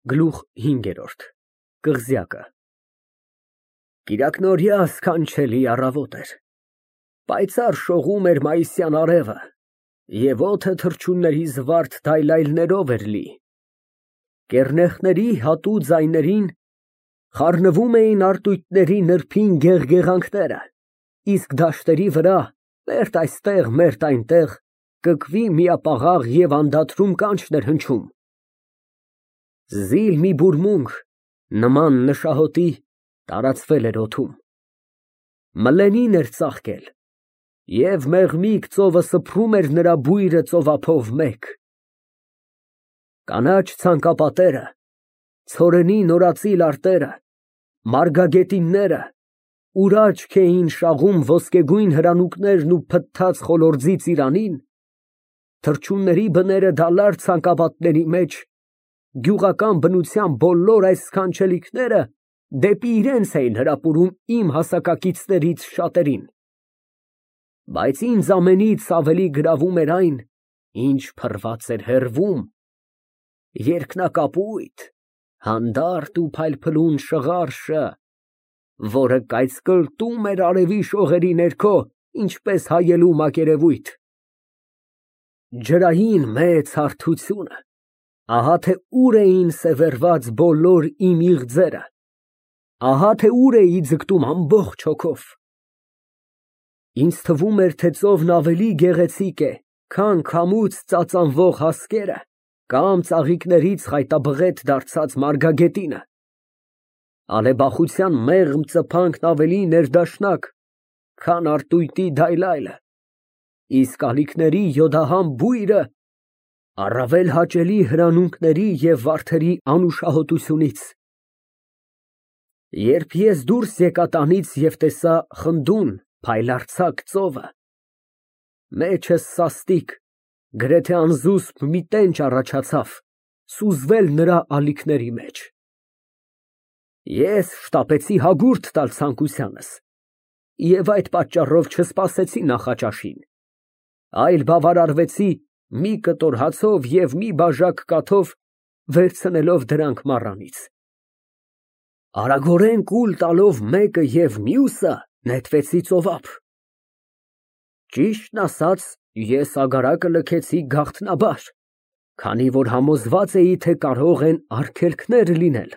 Գլուխ 5 Կղզյակը Կիրակնօրյա սքանչելի առավոտ էր, պայծառ շողում էր մայիսյան արևը և օդը թռչունների զվարթ դայլայլներով էր լի, կեռնեխների հատու ձայներին խառնվում էին արտույտների նրբին գեղգեղանքները, իսկ դաշտերի վրա մերթ այստեղ, մերթ այնտեղ կկվի միապաղաղ և անդադրում կանչն էր հնչում։ Զիլ մի բուրմունք, նման նշահոտի, տարածվել էր օդում, մլենին էր ծաղկել, և մեղմիկ ծովը սփռում էր նրա բույրը ծովափով մեկ։ Կանաչ ցանկապատերը, ցորենի նորածիլ արտերը, մարգագետինները, ուր աչք էին շաղում ոսկեգույն հրանուկներն ու փթթած խոլորձի ծիրանին, թռչունների բները դալար ցանկապատների մեջ, գյուղական բնության բոլոր այս սքանչելիքները դեպի իրենց էին հրապուրում իմ հասակակիցներից շատերին, բայց ինձ ամենից ավելի գրավում էր այն, ինչ փռված էր հեռվում, երկնակապույտ, հանդարտ ու փայլփլուն շղարշը, որը կայծկլտում էր արևի շողերի ներքո, ինչպես հայելու մակերևույթ։ Ջրային մեծ հարթությունը, ահա թե ուր էին սևեռված բոլոր իմ իղձերը, ահա թե ուր էի ձգտում ամբողջ հոգով։ Ինձ թվում էր, թե ծովն ավելի գեղեցիկ է, քան քամուց ծածանվող հասկերը կամ ծաղիկներից խայտաբղետ դարձած մարգագետինը, ալեբախության մեղմ ծփանքն ավելի ներդաշնակ, քան արտույտի դայլայլը, իսկ ալիքների յոդահան բույրը առավել հաճելի հրանունքների և վարդերի անուշահոտությունից։ Երբ ես դուրս եկա տանից և տեսա խնդուն, փայլարձակ ծովը, մեջս սաստիկ, գրեթե անզուսպ մի տենչ առաջացավ սուզվել նրա ալիքների մեջ։ Ես շտապեցի հագուրդ տալ ցանկությանս և այդ պատճառով չսպասեցի նախաճաշին, այլ բավարարվեցի մի կտոր հացով և մի բաժակ կաթով, վերցնելով դրանք մառանից։ Արագորեն կուլ տալով մեկը և մյուսը, նետվեցի ծովափ։ Ճիշտն ասած, ես ագարակը լքեցի գաղտնաբար, քանի որ համոզված էի, թե կարող են արգելքներ լինել։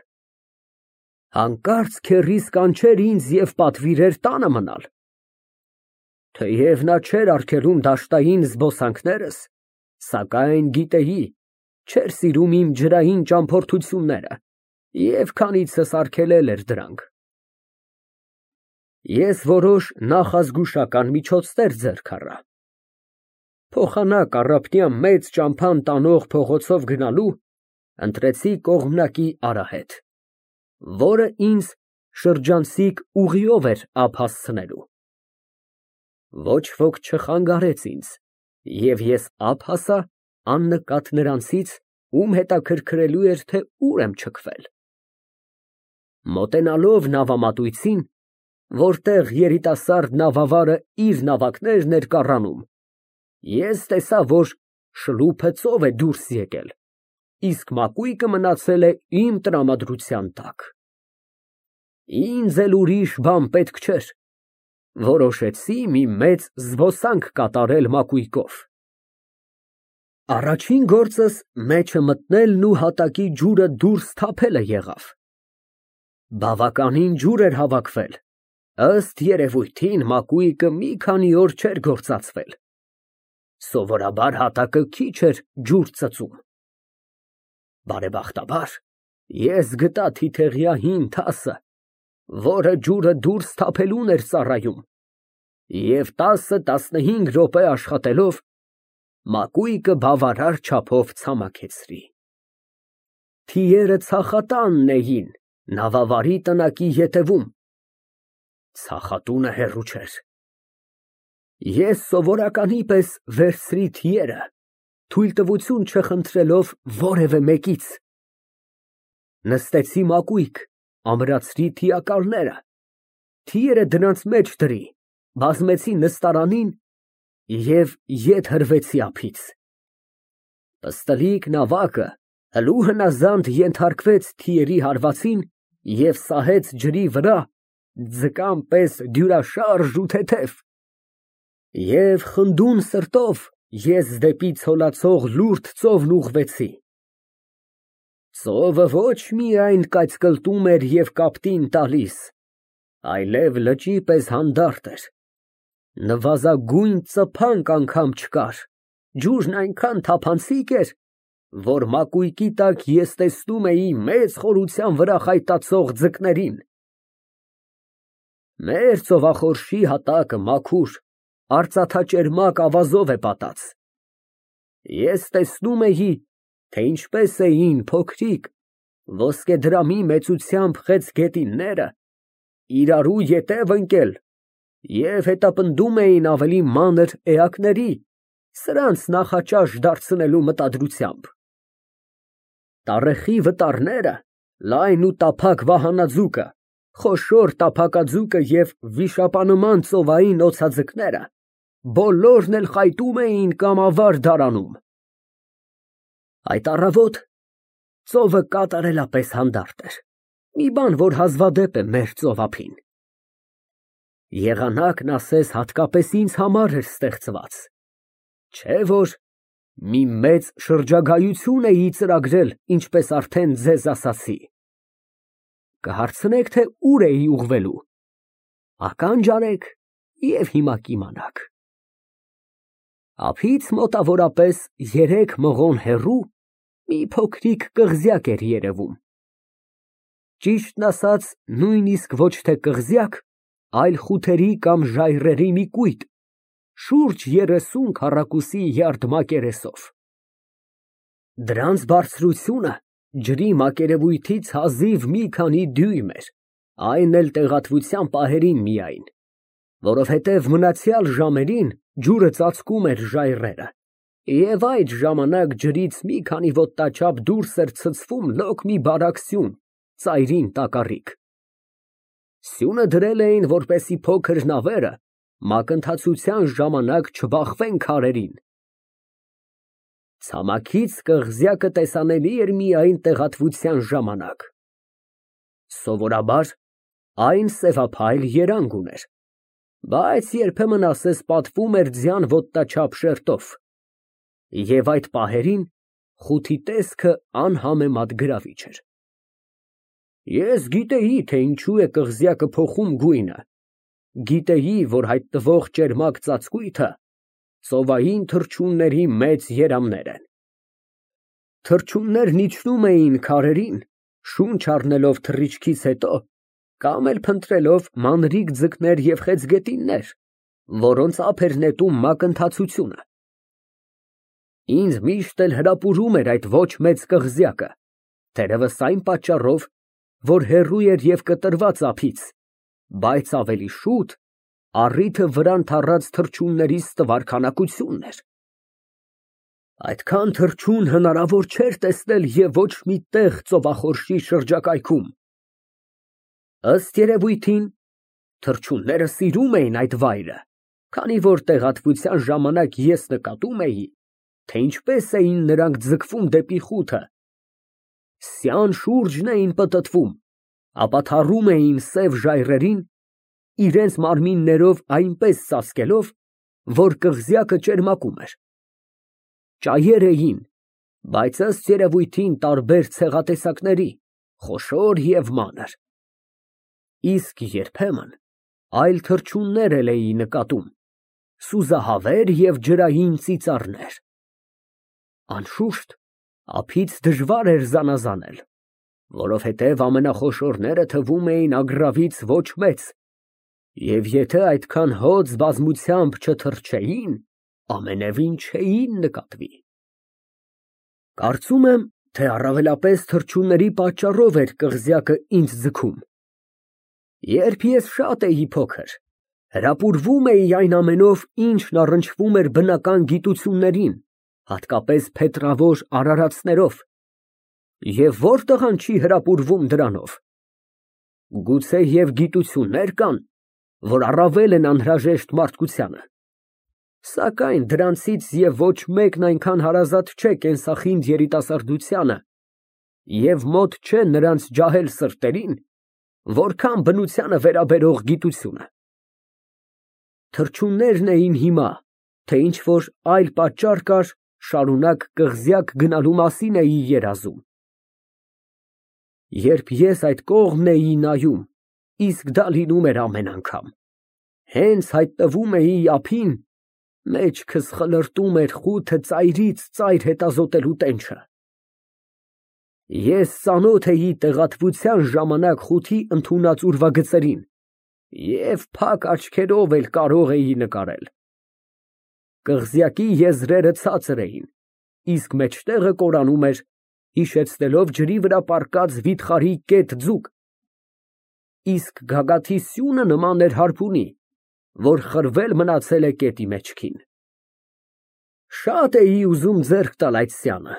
Հանկարծ քեռիս կանչեր ինձ և պատվիրեր տանը մնալ։ Թեև նա չէր արգելում դաշտային զբոսանքներս, սակայն գիտեի, չէր սիրում իմ ջրային ճամփորդությունները և քանիցս արգելել էր դրանք։ Ես որոշ նախազգուշական միջոցներ ձեռք առա։ Փոխանակ առափնյա մեծ ճամփան տանող փողոցով գնալու, ընտրեցի կողմնակի արահետ, որը ինձ շրջանցիկ ուղիով էր ափ հասցնելու։ Ոչ ոք չխանգարեց ինձ, և ես ափ հասա աննկատ նրանցից, ում հետաքրքրելու էր, թե ուր եմ չքվել։ Մոտենալով նավամատույցին, որտեղ երիտասարդ նավավարը իր նավակներն էր կառանում, ես տեսա, որ շլուփը ծով է դուրս եկել, իսկ մակույկը մնացել է իմ տրամադրության տակ։ Ինձ էլ ուրիշ բան պետք չէր, որոշեցի մի մեծ զբոսանք կատարել մակույկով։ Առաջին գործս մեջը մտնելն ու հատակի ջուրը դուրս թափելը եղավ։ Բավականին ջուր էր հավաքվել, ըստ երևույթին մակույկը մի քանի օր չէր գործածվել։ Սովորաբար հատակը քիչ էր ջուր ծծում։ Բարեբախտաբար, ես գտա թիթեղյա հին թասը, որը ջուրը դուրս թափելուն էր ծառայում, և 10-15 րոպե աշխատելով, մակույկը բավարար չափով ցամաքեցրի։ Թիերը ցախատանն էին նավավարի տնակի ետևում, ցախատունը հեռու չէր։ Ես սովորականի պես վերցրի թիերը, թույլտվություն չխնդրելով որևէ մեկից, նստեցի մակույկ, ամրացրի թիակալները, թիերը դրանց մեջ դրի, բազմեցի նստարանին և ետ հրվեցի ափից։ Պստլիկ նավակը Հլու հնազանդ ենթարկվեց թիերի հարվածին և սահեց ջրի վրա ձկան պես դյուրաշարժ ու թեթև, և խնդուն սրտով ես դեպի ցոլացող լուրջ ծովն ուղղվեցի։ Ծովը ոչ միայն կայծկլտում էր և կապտին տալիս, այլև լճի պես հանդարտ էր, նվազագույն ծփանկ անգամ չկար, ջուրն այնքան թափանցիկ էր, որ մակույկի տակ ես տեսնում էի մեծ խորության վրա խայտացող ձկներին։ Մեր ծովախորշի հատակը մաքուր, արծաթաճերմակ ավազով է պատած։ Ես տեսնում էի, թե ինչպես էին փոքրիկ, ոսկեդրամի մեծությամբ խեց գետինները իրարու ետև ընկել և հետապնդում էին ավելի մանր էակների, սրանց նախաճաշ դարձնելու մտադրությամբ։ Տառեխի վտարները, լայն ու տափակ վահանաձուկը, խոշոր տափակաձուկը և վիշապանման ծովային օձաձկները բոլորն էլ խայտում էին կամ ավար դարանում։ Այդ առավոտ ծովը կատարելապես հանդարտ էր, մի բան, որ հազվադեպ է մեր ծովափին։ Եղանակն ասես հատկապես ինձ համար էր ստեղծված, չէ՞ որ մի մեծ շրջագայություն էի ծրագրել, ինչպես արդեն ձեզ ասացի։ Կհարցնեք, թե ուր էի ուղղվելու, ականջ արեք և հիմա կիմանաք։ Ափից մոտավորապես 3 մղոն հեռու մի փոքրիկ կղզյակ էր երևում։ Ճիշտն ասած, նույնիսկ ոչ թե կղզյակ, այլ խութերի կամ ժայռերի մի կույտ, շուրջ 30 քառակուսի յարդ մակերեսով։ Դրանց բարձրությունը ջրի մակերևույթից հազիվ մի քանի դյույմ էր, այն էլ տեղատվության պահերին միայն, որովհետև մնացյալ ժամերին ջուրը ծածկում էր ժայռերը, և այդ ժամանակ ջրից մի քանի ոտնաչափ դուրս էր ցցվում լոկ մի բարակ սյուն, ծայրին տակառիկ։ Սյունը դրել էին, որպեսզի փոքր նավերը մակընթացության ժամանակ չբախվեն քարերին։ Ցամաքից կղզյակը տեսանելի էր միայն տեղատվության ժամանակ։ Սովորաբար այն սևափայլ երանգ ուներ, բայց երբեմն ասես պատվում էր ձյան ոտնաչափ շերտով, և այդ պահերին խութի տեսքը անհամեմատ գրավիչ էր։ Ես գիտեի, թե ինչու է կղզյակը փոխում գույնը, գիտեի, որ հայտնվող ճերմակ ծածկույթը ծովային թռչունների մեծ երամներ են։ Թռչուններն իջնում էին քարերին, շունչ առնելով թռիչքից հետո, կամ էլ փնտրելով մանրիկ ձկներ և խեցգետիններ, որոնց ափ էր նետում մակընթացությունը։ Ինձ միշտ էլ հրապուրում էր այդ ոչ մեծ կղզյակը, թերևս այն պատճառով, որ հեռու էր և կտրված ափից, բայց ավելի շուտ առիթը վրան թռած թռչունների ստվար քանակությունն էր։ Այդքան թռչուն հնարավոր չէր տեսնել և ոչ մի տեղ ծովախորշի շրջակայքում։ Ըստ երևույթին, թռչունները սիրում էին այդ վայրը, քանի որ տեղատվության ժամանակ ես նկատում էի, թե ինչպես էին նրանք ձգվում դեպի խութը, սյան շուրջն էին պտտվում, ապա թառում էին սև ժայռերին, իրենց մարմիններով այնպես ծածկելով, որ կղզյակը ճերմակում էր։ Ճայեր էին, բայց ըստ երևույթին տարբեր ցեղատեսակների, խոշոր և մանր։ Իսկ երբեմն այլ թռչուններ էլ էի նկատում, սուզահավեր և ջրային ծիծառներ։ Անշուշտ, ափից դժվար էր զանազանել, որովհետև ամենախոշորները թվում էին ագռավից ոչ մեծ, և եթե այդքան հոծ բազմությամբ չթռչեին, ամենևին չէին նկատվի։ Կարծում եմ, թե առավելապես թռչունների պատճառով էր կղզյակը ինձ ձգում։ Երբ ես շատ էի փոքր, հրապուրվում էի այն ամենով, ինչն առնչվում էր բնական գիտություններին, հատկապես փետրավոր արարածներով, և ո՞ր տղան չի հրապուրվում դրանով։ Գուցե և գիտություններ կան, որ առավել են անհրաժեշտ մարդկությանը, սակայն դրանցից և ոչ մեկն այնքան հարազատ չէ կենսախինդ երիտասարդությանը, և մոտ չէ նրանց ջահել սրտերին, որքան բնությանը վերաբերող գիտությունը։ Թռչուններն էին հիմա, թե ինչ-որ այլ պատճառ կար, շարունակ կղզյակ գնալու մասին էի երազում։ Երբ ես այդ կողմն էի նայում, իսկ դա լինում էր ամեն անգամ, հենց հայտնվում էի ափին, մեջքս խլրտում էր խութը ծայրից ծայր հետազոտելու տենչը։ Ես ծանոթ էի տեղատվության ժամանակ խութի ընդունած ուրվագծերին և փակ աչքերով էլ կարող էի նկարել։ Կղզյակի եզրերը ցածր էին, իսկ մեջտեղը կորանում էր, հիշեցնելով ջրի վրա պառկած վիթխարի կետ ձուկ, իսկ գագաթի սյունը նման էր հարբունի, որ խրվել մնացել է կետի մեջքին։ Շատ էի ուզում ձեռք տալ այդ սյանը,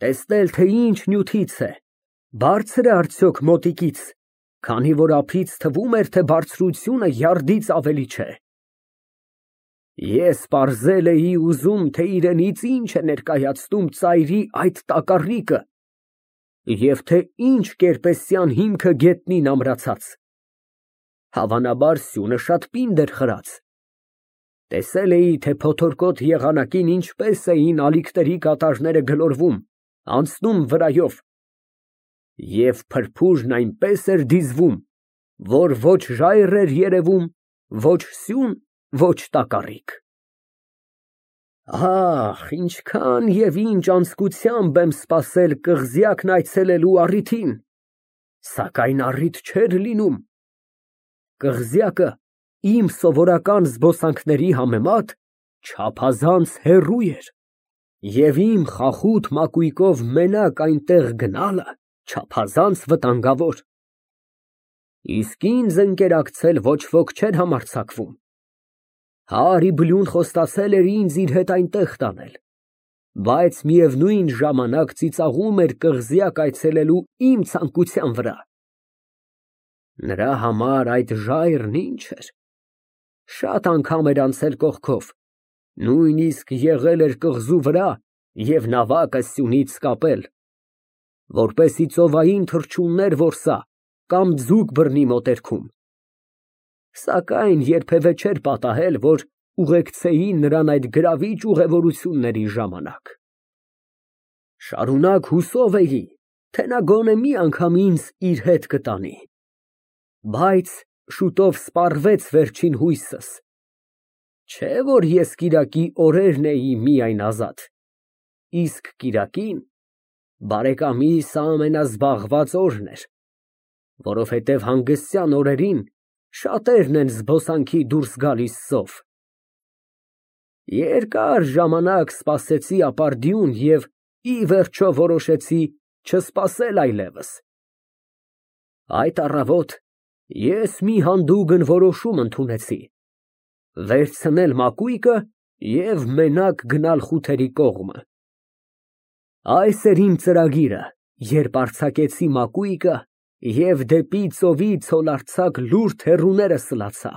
տեսնել, թե ինչ նյութից է, բարձր է արդյոք մոտիկից, քանի որ ափից թվում էր, թե բարձրությունը յարդից ավելի չէ։ Ես պարզել էի ուզում, թե իրենից ինչ է ներկայացնում ծայրի այդ տակառիկը և թե ինչ կերպեսյան հիմքը գետնին ամրացած։ Հավանաբար սյունը շատ պինդ էր խրած։ Տեսել էի, թե փոթորկոտ եղանակին ինչպես էին ալիքների կատարները գլորվում, անցնում վրայով, և փրփուրն այնպես էր դիզվում, որ ոչ ժայռ էր երևում, ոչ սյուն, ոչ տակառիկ։ Ահ, ինչքան և ինչ անձկությամբ եմ սպասել կղզյակն այցելելու առիթին, սակայն առիթ չէր լինում։ Կղզյակը իմ սովորական զբոսանքների համեմատ չափազանց հեռու էր, և իմ խախուտ մակույկով մենակ այնտեղ գնալը չափազանց վտանգավոր։ Իսկ ինձ ընկերակցել ոչ ոք չէր համարձակվում։ Հարի խոստացել էր ինձ իր հետ այնտեղ տանել, բայց միևնույն ժամանակ ծիծաղում էր կղզյակ այցելելու իմ ցանկության վրա։ Նրա համար այդ ժայռն ինչ էր։ Շատ անգամ էր անցել կողքով, նույնիսկ եղել էր կղզու վրա և նավակը սյունից կապել, որպեսզի ծովային թռչուններ որսա կամ ձուկ բռնի մոտերքում, սակայն երբևէ չէր պատահել, որ ուղեկցեին նրան այդ գրավիչ ուղևորությունների ժամանակ։ Շարունակ հուսով էի, թե նա գոնե մի անգամ ինձ իր հետ կտանի, բայց շուտով սպառվեց վերջին հույսս։ Չէ որ ես կիրակի օրերն էի միայն ազատ, իսկ կիրակին բարեկամիս ամենազբաղված օրն էր, որովհետև հանգստյան օրերին շատերն են զբոսանքի դուրս գալիս ծով։ Երկար ժամանակ սպասեցի ապարդյուն և ի վերջո որոշեցի չսպասել այլևս։ Այդ առավոտ ես մի հանդուգն որոշում ընդունեցի. վերցնել մակույկը և մենակ գնալ խութերի կողմը։ Այս էր իմ ծրագիրը, երբ արձակեցի մակույկը և դեպի ծովի ցոլարձակ լուրջ հեռուները սլացա։